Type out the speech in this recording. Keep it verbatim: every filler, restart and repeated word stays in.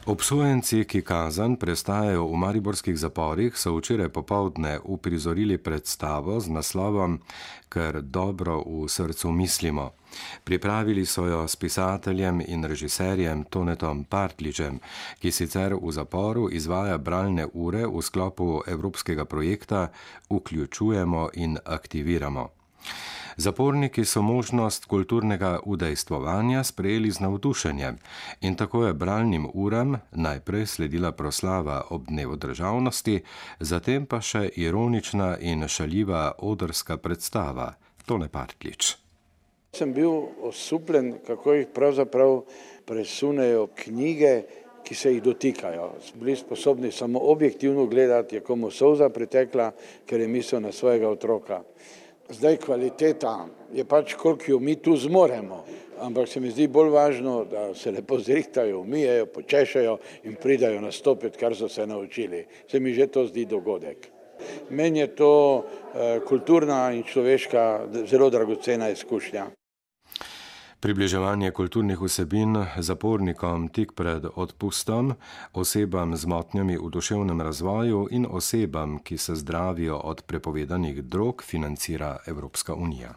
Obsojenci, ki kazen prestajajo v mariborskih zaporih, so včeraj popoldne uprizorili predstavo z naslovom Ker dobro v srcu mislimo. Pripravili so jo s pisateljem in režiserjem Tonetom Partljičem, ki sicer v zaporu izvaja bralne ure v sklopu evropskega projekta Vključujemo in aktiviramo. Zaporniki so možnost kulturnega udejstvovanja sprejeli z navdušenjem in tako je bralnim uram najprej sledila proslava ob dnevu državnosti, zatem pa še ironična in šaljiva odrska predstava. Tone Partljič. Sem bil osupljen, kako jih pravzaprav presunejo knjige, ki se jih dotikajo. Bili sposobni samo objektivno gledati, je komu solza pritekla, ker je mislil na svojega otroka. Zdaj kvaliteta je pač, koliko jo mi tu zmoremo, ampak se mi zdi bolj važno, da se lepo zrihtajo, umijejo, počešajo in pridajo nastopiti, kar so se naučili. Se mi že to zdi dogodek. Meni je to eh, kulturna in človeška zelo dragocena izkušnja. Približevanje kulturnih vsebin zapornikom tik pred odpustom, osebam z motnjami v duševnem razvoju in osebam, ki se zdravijo od prepovedanih drog, financira Evropska unija.